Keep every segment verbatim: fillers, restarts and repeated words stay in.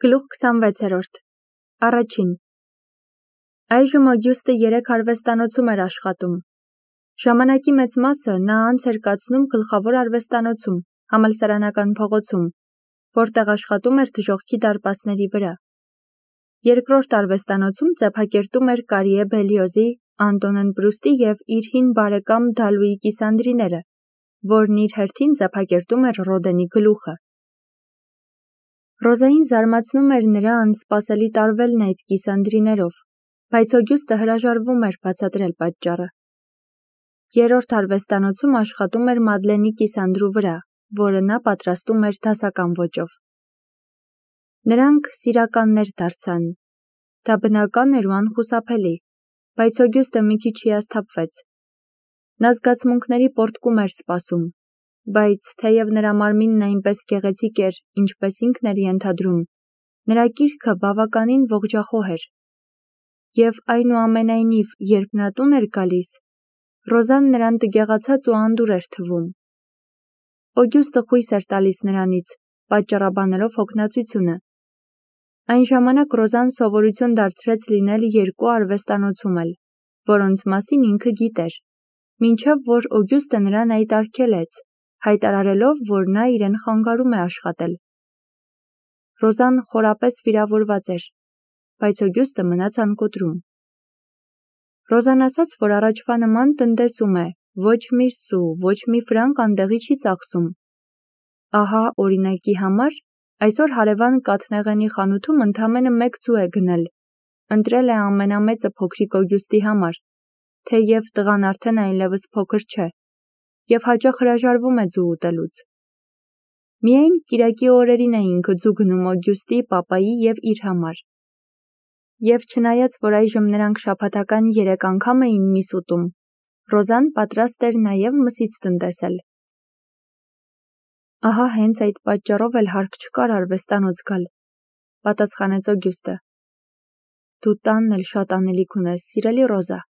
Գլուխ քսանվեցերորդ Առաջին Այժմ Օգյուստը երեք արվեստանոցում էր աշխատում։ Ժամանակի մեծ մասը նա անց էր կացնում գլխավոր արվեստանոցում, համալսարանական փողոցում, որտեղ աշխատում էր դժոխքի դարպասների վրա։ Երկրորդ արվեստանոցում ձեփակերտում էր Կարիե Բելիոզի, Անտոնեն Պրուստի և իր հին բարեկամ Դալուի կիսանդրիները, որն իր հերթին ձեփակերտում էր Ռոդենի գլուխը։ Ռոզային զարմացնում էր նրա անսպասելի տարվելն այդ կիսանդրիներով, բայց Օգյուստը հրաժարվում էր բացատրել պատճառը։ Երրորդ արվեստանոցում աշխատում էր Մադլենի կիսանդրու վրա, որը նա պատրաստում էր դասական ոճով։ Նրանք սիրականներ դարձան։ Դա բնական էր ու անխուսափելի, բայց Օգյուստը մի քիչ հիասթափվեց։ Նա զգացմունքների պոռթկում էր սպասում, բայց թեև նրա մարմինն այնպես գեղեցիկ էր, ինչպես ինքն էր ենթադրում, նրա կիրքը բավականին ողջախոհ էր։ Եվ այնուամենայնիվ, երբ նա տուն էր գալիս, Ռոզան նրան տգեղացած ու անդուր էր թվում։ Օգյուստը խույս էր տալիս նրանից, պատճառաբանելով հոգնածությունը։ Այն ժամանակ Ռոզան սովորություն դարձրեց լինել երկու արվեստանոցում էլ, որոնց մասին ինքը գիտեր, մինչև որ Օգյուստը նրան այդ արգելեց, հայտարարելով, որ նա իրեն խանգարում է աշխատել։ Ռոզան խորապես վիրավորված էր, բայց Օգյուստը մնաց անկոտրում։ Ռոզան ասաց, որ առաջվա նման տնտեսում է, ոչ մի սու, ոչ մի ֆրանկ անդեղի չի ծախսում։ Ահա, օրինակի համար, այսօր հարևան կաթնեղենի խանութում ընդամենը մեկ ձու է գնել, ընտրել է ամենամեծը փոքրիկ Օգյուստի համար, թեև տղան արդեն այլևս փոքր չէ, և հաճախ հրաժարվում է ձու ուտելուց։ Միայն կիրակի օրերին է ինքը ձու գնում Օգյուստի, պապայի և իր համար։ Եվ չնայած, որ այժմ նրանք շաբաթական երեք անգամ էին միս ուտում, Ռոզան պատրաստ էր նաև մսից տնտեսել։ Ահա հենց այդ պատճառով էլ հարկ չկար արվեստանոց գալ, պատասխանեց Օգյուստը։ Դու տանն էլ շատ անելիք ունես, սիրելի Ռոզա։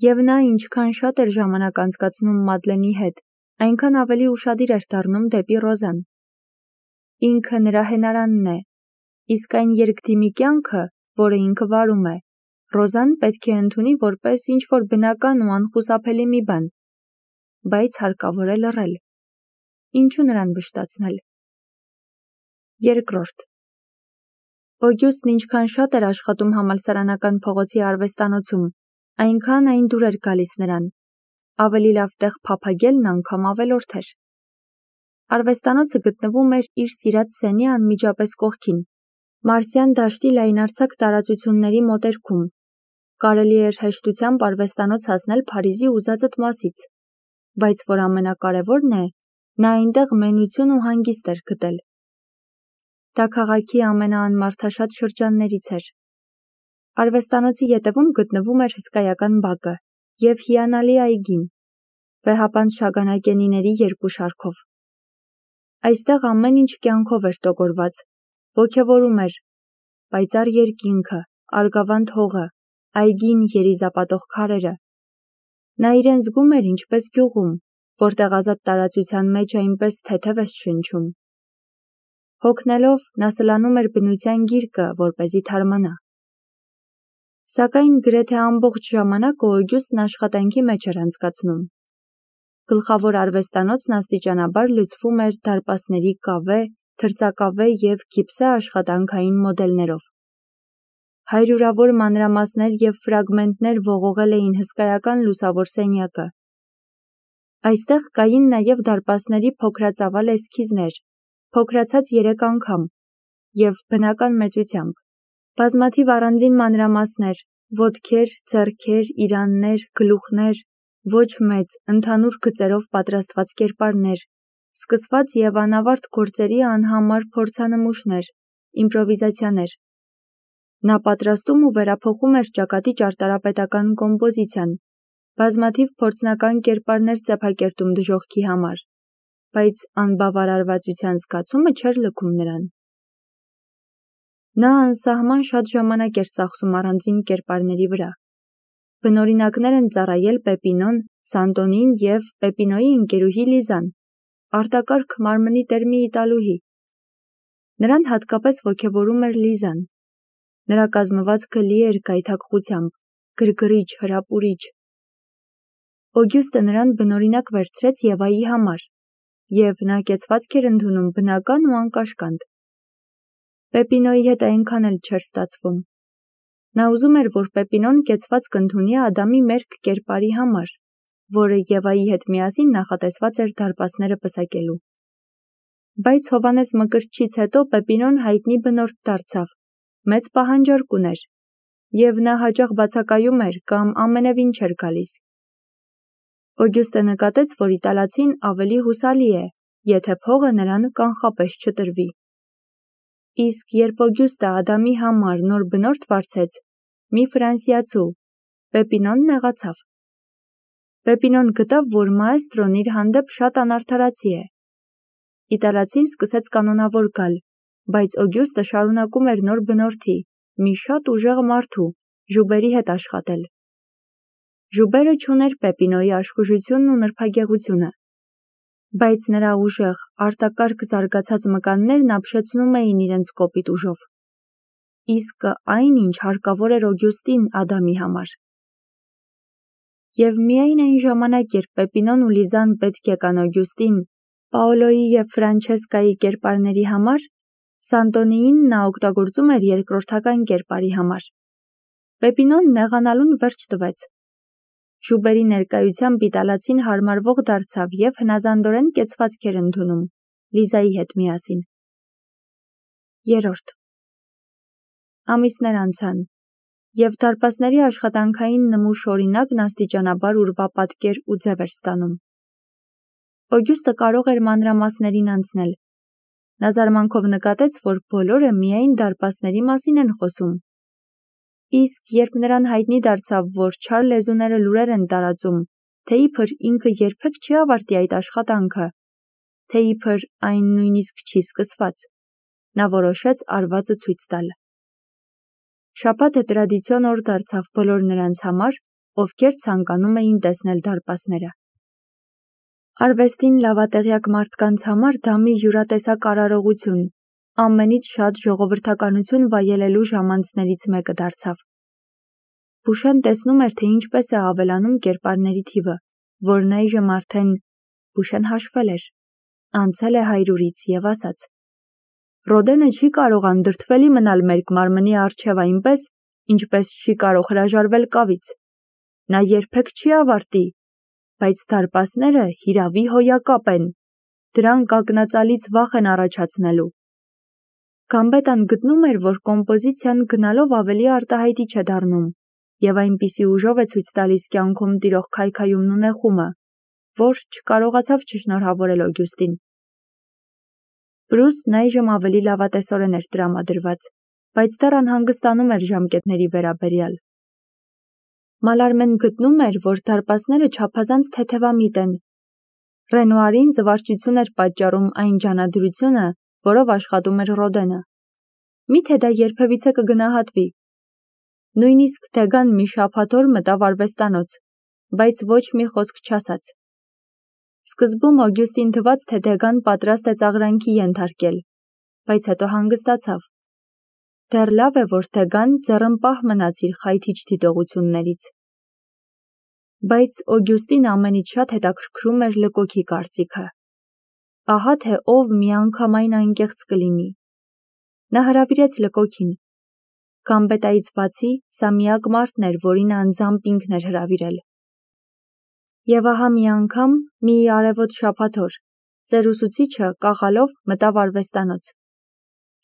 Եվ նա ինչքան շատ էր ժամանակ անցկացնում Մադլենի հետ, այնքան ավելի ուշադիր էր դառնում դեպի Ռոզան։ Ինքը նրա հենարանն է, իսկ այն երկդիմի կյանքը, որը ինքը վարում է, Ռոզան պետք է ընդունի որպես ինչ-որ բնական ու անխուսափելի մի բան, բայց հարկավոր է լռել։ Ինչու նրան վշտացնել։ Երկրորդ Օգյուստն ինչքան շատ էր աշխատում համալսարանական փողոցի արվեստանոցում, այնքան այն դուր էր գալիս նրան, ավելի լավ տեղ փափագելն անգամ ավելորդ էր։ Արվեստանոցը գտնվում էր իր սիրած սենի անմիջապես կողքին, Մարսյան դաշտի լայնարձակ տարածությունների մոտերքում։ Կարելի էր հեշտությամբ արվեստանոց հասնել Փարիզի ուզածդ մասից, բայց որ ամենակարևորն է, նա այնտեղ մենություն ու հանգիստ էր գտել։ Դա քաղաքի ամենաանմարդաշատ շրջաններից էր։ Արվեստանոցի ետևում գտնվում էր հսկայական բակը և հիանալի այգին, վեհապանծ շագանակենիների երկու շարքով։ Այստեղ ամեն ինչ կյանքով էր տոգորված, ոգևորում էր, պայծառ երկինքը, արգավանդ հողը, այգին երիզապատող քարերը։ Նա իրեն զգում էր ինչպես գյուղում, որտեղ ազատ տարածության մեջ այնպես թեթև ես շնչում։ Հոգնելով, նա սլանում էր բնության գիրկը, որպեսզի թարմանա։ Սակայն գրեթե ամբողջ ժամանակը Օգյուստն աշխատանքի մեջ էր անցկացնում։ Գլխավոր արվեստանոցն աստիճանաբար լցվում էր դարպասների կավե, թրծակավե և գիպսե աշխատանքային մոդելներով։ Հարյուրավոր մանրամասներ և ֆրագմենտներ ողողել էին հսկայական լուսավոր սենյակը։ Այստեղ կային նաև դարպասների փոքրածավալ էսքիզներ, փոքրացած երեք անգամ և բնական մեծությամբ, բազմաթիվ առանձին մանրամասներ, ոտքեր, ձեռքեր, իրաններ, գլուխներ, ոչ մեծ, ընդհանուր գծերով պատրաստված կերպարներ, սկսված և անավարտ գործերի անհամար փորձանմուշներ, իմպրովիզացիաներ։ Նա պատրաստում ու վերափոխում էր ճակատի ճարտարապետական կոմպոզիցիան, բազմաթիվ փորձնական կերպարներ ձեփակերտում դժոխքի համար, բայց անբավարարվածության զգացումը չէր լքում նրան։ Նա անսահման շատ ժամանակ էր ծախսում առանձին կերպարների վրա։ Բնօրինակներ են ծառայել Պեպինոն, Սանտոնին և Պեպինոյի ընկերուհի Լիզան, արտակարգ մարմնի տեր մի իտալուհի։ Նրան հատկապես ոգևորում էր Լիզան։ Նրա կազմվածքը լի էր գայթակղությամբ, գրգռիչ, հրապուրիչ։ Օգյուստը նրան բնօրինակ վերցրեց Եվայի համար, և նա կեցվածք էր ընդունում բնական ու անկաշկանդ։ Պեպինոյի հետ այնքան էլ չէր ստացվում։ Նա ուզում էր, որ Պեպինոն կեցվածք ընդունի Ադամի մերկ կերպարի համար, որը Եվայի հետ միասին նախատեսված էր դարպասները պսակելու։ Բայց Հովհաննես Մկրտչից հետո Պեպինոն հայտնի բնորդ դարձավ, մեծ պահանջարկ ուներ, և նա հաճախ բացակայում էր կամ ամենևին չէր գալիս։ Օգյուստը նկատեց, որ իտալացին ավելի հուսալի է, եթե փողը նրան կանխապես չտրվի։ Իսկ երբ Օգյուստը Ադամի համար նոր բնորդ վարձեց, մի ֆրանսիացու, Պեպինոն նեղացավ։ Պեպինոն գտավ, որ մաեստրոն իր հանդեպ շատ անարդարացի է։ Իտալացին սկսեց կանոնավոր գալ, բայց Օգյուստը շարունակում էր նոր բնորդի, մի շատ ուժեղ մարդու, Ժուբերի հետ աշխատել։ Ժուբերը չուներ Պեպինոյի աշխուժությունն ու նրբագեղությունը, բայց նրա ուժեղ, արտակարգ զարգացած մկաններն ապշեցնում էին իրենց կոպիտ ուժով։ Իսկ այն, ինչ հարկավոր էր Օգյուստին Ադամի համար։ Եվ միայն այն ժամանակ, երբ Պեպինոն ու Լիզան պետք եկան Օգյուստին Պաոլոյի և Ֆրանչեսկայի կերպարների համար, Սանտոնիին նա օգտագործում էր երկրորդական կերպարի համար։ Պեպինոն նեղանալուն վերջ տվեց։ Ժուբերի ներկայությամբ իտալացին հարմարվող դարձավ և հնազանդորեն կեցվածք էր ընդունում, Լիզայի հետ միասին։ Երրորդ ամիսներ անցան, և դարպասների աշխատանքային նմուշ օրինակն աստիճանաբար ուրվապատկեր ու ձև էր ստանում։ Օգյուստը կարող էր մանրամասներին անցնել։ Նա զարմանքով նկատեց, որ բոլորը միայն դարպասների մասին են խոսում։ Իսկ երբ նրան հայտնի դարձավ, որ չար լեզուները լուրեր են տարածում, թե իբր ինքը երբեք չի ավարտի այդ աշխատանքը, թե իբր այն նույնիսկ չի սկսված, նա որոշեց արվածը ցույց տալ։ Շաբաթը տրադիցիոն օր դարձավ բոլոր նրանց համար, ովքեր ցանկանում էին տեսնել դարպասները։ Արվեստին լավատեղյակ մարդկանց համար դա մի յուրատեսակ արարողություն, ամենից շատ ժողովրդականություն վայելելու ժամանցներից մեկը դարձավ։ Բուշեն տեսնում էր, թե ինչպես է ավելանում կերպարների թիվը, որն այժմ արդեն Բուշեն հաշվել էր, անցել է հայրուրից և ասաց. Ռոդենը չի կարող անդրդվելի մնալ մեր մարմնի առջև այնպես, ինչպես չի կարող հրաժարվել կավից։ Նա երբեք չի ավարտի, բայց դարպասները հիրավի հոյակապ են, դրանք ակնածալից վախ են առաջացնելու։ Գամբետան գտնում էր, որ կոմպոզիցիան գնալով ավելի արտահայտիչ է դառնում, և այնպիսի ուժով է ցույց տալիս կյանքում տիրող քայքայումն ու նեղումը, որ չկարողացավ չշնորհավորել Օգյուստին։ Բրուսն այժմ ավելի լավատեսորեն էր տրամադրված, բայց դեռ անհանգստանում էր ժամկետների վերաբերյալ։ Մալարմեն գտնում էր, որ դարպասները չափազանց թեթևամիտ են։ Ռենուարին զվարճություն էր պատճառում այն ջանադրությունը, որով աշխատում էր Ռոդենը։ Միթե դա երբևիցե կգնահատվի։ Նույնիսկ Դեգան մի շաբաթ օր մտավ արվեստանոց, բայց ոչ մի խոսք չասաց։ Սկզբում Օգյուստին թվաց, թե Դեգան պատրաստ է ծաղրանքի ենթարկել, բայց հետո հանգստացավ։ Դեռ լավ է, որ Դեգան ձեռնպահ մնաց իր խայթիչ դիտողություններից։ Բայց Օգյուստին ամենից շատ հետաքրքրում էր Լկոքի կարծիքը։ Ահա թե ով միանգամայն անկեղծ կլինի։ Նա հրավիրեց Լկոքին։ Գամբետայից բացի, սա միակ մարդն էր, որին անձամբ ինքն էր հրավիրել։ Եվ ահա մի անգամ, մի արևոտ շաբաթ օր, ծեր ուսուցիչը կաղալով մտավ արվեստանոց։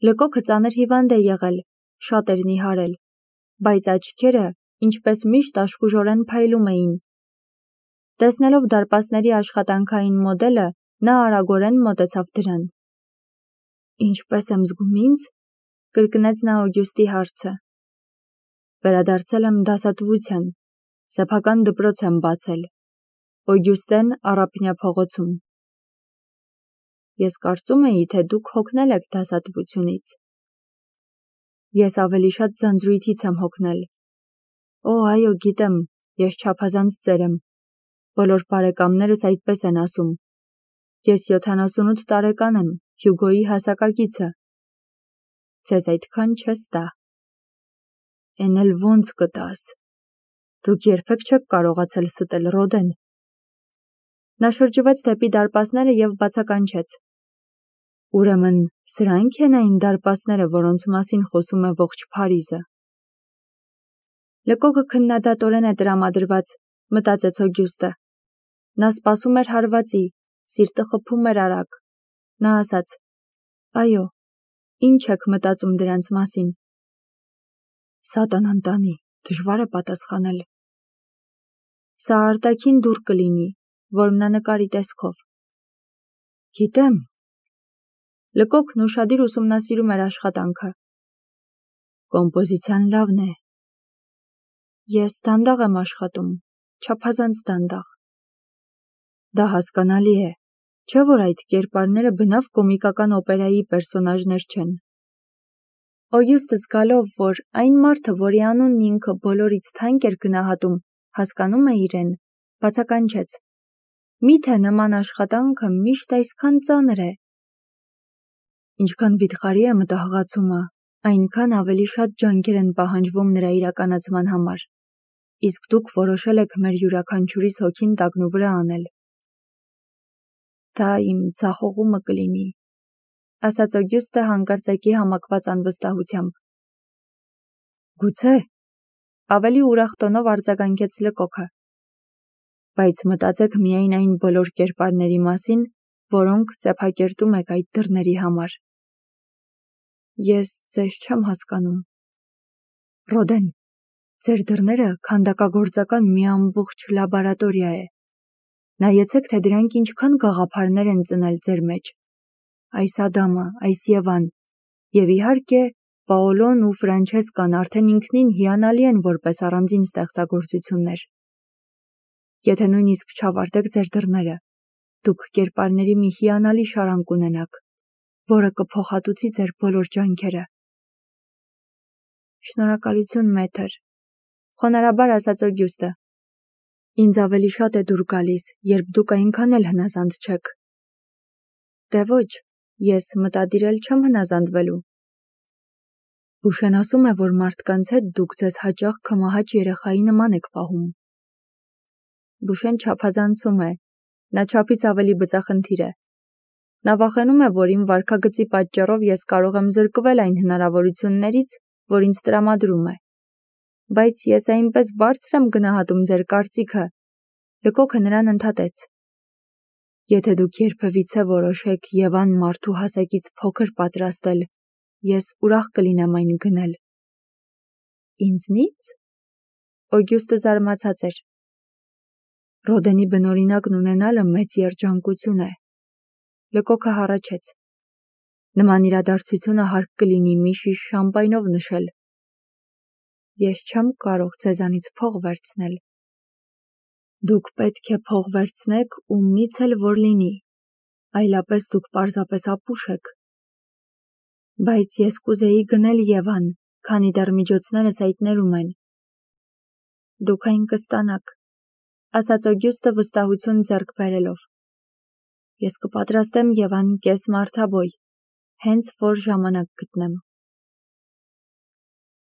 Լկոքը ծանր հիվանդ է եղել, շատ էր նիհարել, բայց աչքերը, ինչպես միշտ, աշխուժորեն փայլում էին։ Տեսնելով դարպասների աշխատանքային մոդելը, նա արագորեն մոտեցավ դրան։ Ինչպես եմ զգում ինձ, կրկնեց նա Օգյուստի հարցը։ Վերադարձել եմ դասատվության, սեփական դպրոց եմ բացել։ Օգյուստեն Առափնյա փողոցում։ Ես կարծում էի, թե դուք հոգնել եք դասատվությունից։ Ես ավելի շատ ձանձրույթից եմ հոգնել։ Օ, այո, գիտեմ, ես չափազանց ծեր եմ։ Բոլոր բարեկամներս այդպես են ասում։ Ես յոթանասունութ տարեկան եմ, Հյուգոյի հասակակիցը, Ձեզ այդքան չես տա։ Էն էլ ոնց կտաս։ Դուք երբեք չեք կարողացել ստել Ռոդեն։ Նա շրջվեց դեպի դարպասները և բացականչեց։ Ուրեմն սրանք են այն դարպասները, որոնց մասին խոսում է ողջ Փարիզը։ Լկոկը քննադատորեն է տրամադրված, մտածեց Օգյուստը։ Նա սպասում էր հարվածի, սիրտը խփում էր արագ։ Նա ասաց. Այո, ինչ եք մտածում դրանց մասին։ Սատանան տանի, դժվար է պատասխանել։ Սա արտաքին դուռ կլինի, որմնանկարի տեսքով։ Գիտեմ։ Լկոկն ուշադիր ուսումնասիրում էր աշխատանքը։ Կոմպոզիցիան լավն է։ Ես դանդաղ եմ աշխատում, չափազանց դանդաղ։ Դա հասկանալի է, չէ՞ որ այդ կերպարները բնավ կոմիկական օպերայի պերսոնաժներ չեն։ Օգյուստը զգալով, որ այն մարդը, որի անունն ինքը բոլորից թանկ էր գնահատում, հասկանում է իրեն, բացականչեց. Միթե նման աշխատանքը միշտ այսքան ծանր է։ Ինչքան վիթխարի է մտահղացումը, այնքան ավելի շատ ջանքեր են պահանջվում նրա իրականացման համար, իսկ դուք որոշել եք մեր յուրաքանչյուրիս հոգին տակնու վրա անել։ Դա իմ ձախողումը կլինի, ասաց Օգյուստը հանկարծակի համակված անվստահությամբ։ Գուցե, ավելի ուրախ տոնով արձագանքեց Լկոկը։ Բայց մտածեք միայն այն բոլոր կերպարների մասին, որոնք ծեփակերտում եք այդ դռների համար։ Ես ձեզ չեմ հասկանում։ Ռոդեն, ձեր դռները քանդակագործական մի ամբողջ լաբորատորիա է։ Նայեցեք, թե դրանք ինչքան գաղափարներ են ծնել ձեր մեջ։ Այս Ադամը, այս Եվան, և իհարկե Պաոլոն ու Ֆրանչեսկան արդեն ինքնին հիանալի են որպես առանձին ստեղծագործություններ։ Եթե նույնիսկ չավարտեք ձեր դռները, դուք կերպարների մի հիանալի շարան կունենաք, որը կփոխհատուցի ձեր բոլոր ջանքերը։ Շնորհակալություն, մեթր, խոնարհաբար ասաց Օգյուստը։ Ինձ ավելի շատ է դուր գալիս, երբ դուք այնքան էլ հնազանդ չեք։ Դե ոչ, ես մտադիր էլ չեմ հնազանդվելու։ Բուշեն ասում է, որ մարդկանց հետ դուք ձեզ հաճախ քմահաճ երեխայի նման եք պահում։ Բուշեն չափազանցում է, նա չափից ավելի բծախնդիր է։ Նա վախենում է, որ իմ վարքագծի պատճառով ես կարող եմ զրկվել այն հնարավորություններից, որ ինձ տրամադրում է։ Բայց ես այնպես բարձր եմ գնահատում ձեր կարծիքը։ Լկոկը նրան ընդհատեց. Եթե դուք երբևիցե որոշեք Եվան մարդու հասակից փոքր պատրաստել, ես ուրախ կլինեմ այն գնել։ Ինձնից։ Օգյուստը զարմացած էր։ Ռոդենի բնօրինակն ունենալը մեծ երջանկություն է։ Լկոկը հառաչեց։ Նման իրադարձությունը հարկ կլինի մի շիշ շամպայնով նշել։ Ես չեմ կարող ձեզանից փող վերցնել։ Դուք պետք է փող վերցնեք ումնից էլ որ լինի, այլապես դուք պարզապես ապուշ եք։ Բայց ես կուզեի գնել Եվան, քանի դեռ միջոցներս հայտներում են։ Դուք այն կստանաք, ասաց Օգյուստը վստահություն ձեռք բերելով։ Ես կպատրաստեմ Եվան կես մարդաբոյ, հենց որ ժամանակ գտնեմ։